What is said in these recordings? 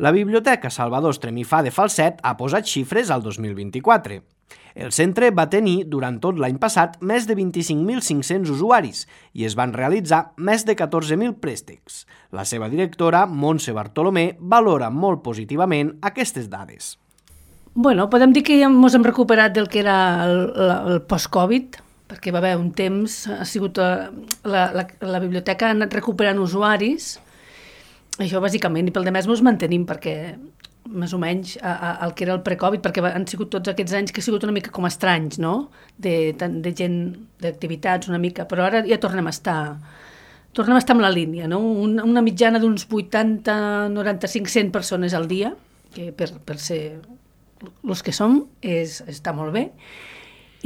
La Biblioteca Salvador Estremifà de Falset ha posat xifres al 2024. El centre va tenir, durant tot l'any passat, més de 25.500 usuaris i es van realitzar més de 14.000 préstecs. La seva directora, Montse Bartolomé, valora molt positivament aquestes dades. Bueno, podem dir que ja ens hem recuperat del que era el post-Covid, perquè va haver un temps, ha sigut la biblioteca ha anat recuperant usuaris, això bàsicament, i pel demés ens mantenim, perquè més o menys el que era el pre-Covid, perquè han sigut tots aquests anys que ha sigut una mica com estranys, no? De gent, d'activitats una mica, però ara ja tornem a estar en la línia, no? Una mitjana d'uns 80, 95, 100 persones al dia, que per ser els que som està molt bé.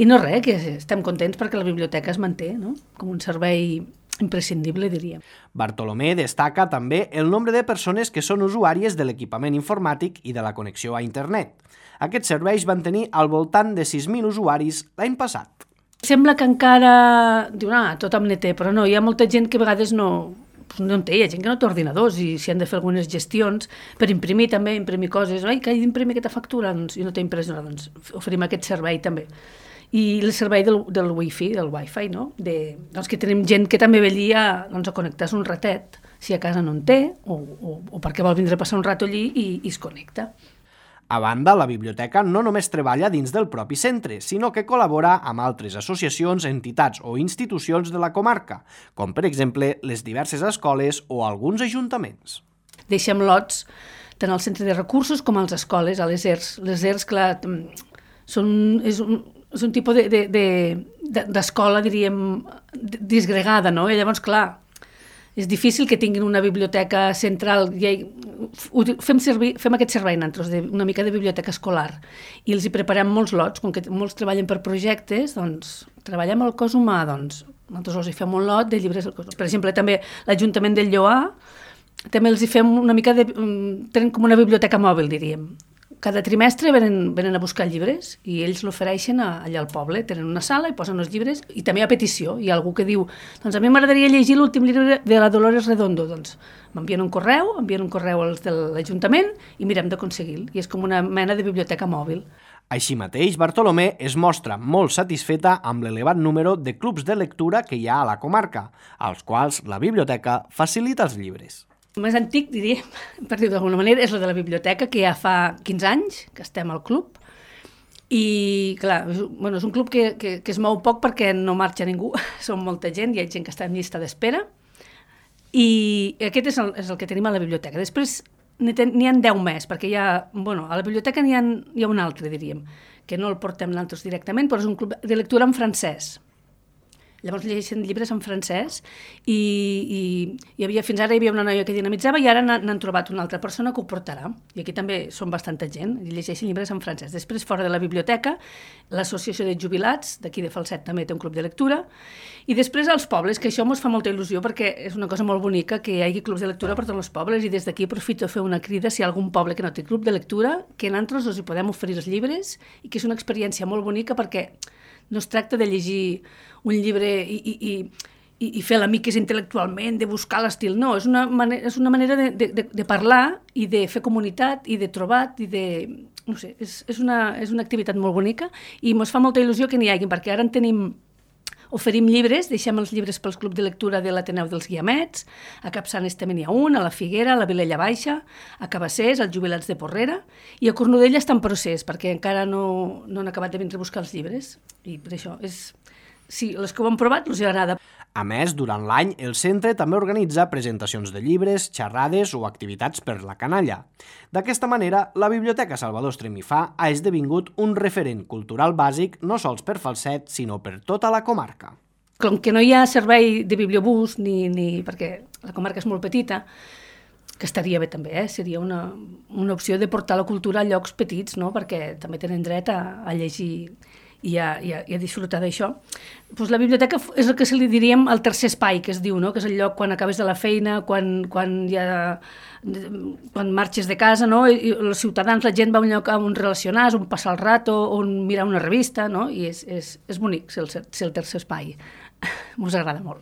I no res, que estem contents perquè la biblioteca es manté, no? Com un servei imprescindible, diríem. Bartolomé destaca també el nombre de persones que són usuàries de l'equipament informàtic i de la connexió a internet. Aquests serveis van tenir al voltant de 6.000 usuaris l'any passat. Sembla que encara diuen, tothom ne té, però no, hi ha molta gent que a vegades no en té, hi ha gent que no té ordinadors i si han de fer algunes gestions per imprimir també, imprimir coses, que he d'imprimir aquesta factura, doncs, i no té impressora, doncs oferim aquest servei també. I el servei del wifi, no? Doncs que tenim gent que també ve allí a connectar-se un ratet, si a casa no en té, o perquè vol vindre a passar un rato allí i es connecta. A banda, la biblioteca no només treballa dins del propi centre, sinó que col·labora amb altres associacions, entitats o institucions de la comarca, com per exemple les diverses escoles o alguns ajuntaments. Deixem lots tant al centre de recursos com a les escoles, a les ERS. Les ERS, clar, és un tipus d'escola, diríem, disgregada, no? I llavors, clar, és difícil que tinguin una biblioteca central. Fem aquest servei nosaltres, una mica de biblioteca escolar, i els hi preparem molts lots, com que molts treballen per projectes, doncs treballem el cos humà, doncs nosaltres els hi fem un lot de llibres del cos humà. Per exemple, també l'Ajuntament del Lloar, també els hi fem una mica tenen com una biblioteca mòbil, diríem. Cada trimestre venen a buscar llibres i ells l'ofereixen allà al poble, tenen una sala i posen els llibres, i també a petició. Hi ha algú que diu, doncs a mi m'agradaria llegir l'últim llibre de la Dolores Redondo, doncs m'envien un correu als de l'Ajuntament i mirem d'aconseguir-lo, i és com una mena de biblioteca mòbil. Així mateix, Bartolomé es mostra molt satisfeta amb l'elevat número de clubs de lectura que hi ha a la comarca, als quals la biblioteca facilita els llibres. El més antic, diríem, per dir-ho d'alguna manera, és la de la biblioteca, que ja fa 15 anys que estem al club. I, clar, és un club que es mou poc perquè no marxa ningú, som molta gent, hi ha gent que està en llista d'espera. I aquest és el que tenim a la biblioteca. Després n'hi ha 10 més, perquè a la biblioteca n'hi ha un altre, diríem, que no el portem nosaltres directament, però és un club de lectura en francès. Llavors llegeixen llibres en francès i fins ara hi havia una noia que dinamitzava i ara n'han trobat una altra persona que ho portarà. I aquí també són bastanta gent i llegeixen llibres en francès. Després, fora de la biblioteca, l'Associació de Jubilats, d'aquí de Falset, també té un club de lectura. I després als pobles, que això ens fa molta il·lusió perquè és una cosa molt bonica que hi hagi clubs de lectura per tots els pobles, i des d'aquí aprofito a fer una crida si hi ha algun poble que no té club de lectura, que nosaltres els hi podem oferir els llibres i que és una experiència molt bonica perquè no es tracta de llegir un llibre i fer l'amic intel·lectualment, de buscar l'estil, no, és una manera de parlar i de fer comunitat i de trobar i de... no sé, és una activitat molt bonica i ens fa molta il·lusió que n'hi hagi, perquè ara oferim llibres, deixem els llibres pels clubs de lectura de l'Ateneu dels Guiamets, a Capçanes també n'hi ha un, a la Figuera, a la Vilella Baixa, a Cabassers, als Jubilats de Porrera, i a Cornudella està en procés, perquè encara no han acabat de vindre a buscar els llibres, i per això sí, els que ho han provat els agrada. A més, durant l'any, el centre també organitza presentacions de llibres, xerrades o activitats per la canalla. D'aquesta manera, la Biblioteca Salvador Estremifà ha esdevingut un referent cultural bàsic no sols per Falset, sinó per tota la comarca. Com que no hi ha servei de bibliobús, perquè la comarca és molt petita, que estaria bé també, seria una opció de portar la cultura a llocs petits, no? Perquè també tenen dret a llegir i a disfrutar d'això. Doncs la biblioteca és el que se li diríem el tercer espai, que es diu, no? Que és el lloc quan acabes de la feina, quan marxes de casa, no? I els ciutadans, la gent va a un lloc on relacionar-se, on passar el rato, on mirar una revista, no? I és bonic ser el tercer espai. Ens agrada molt.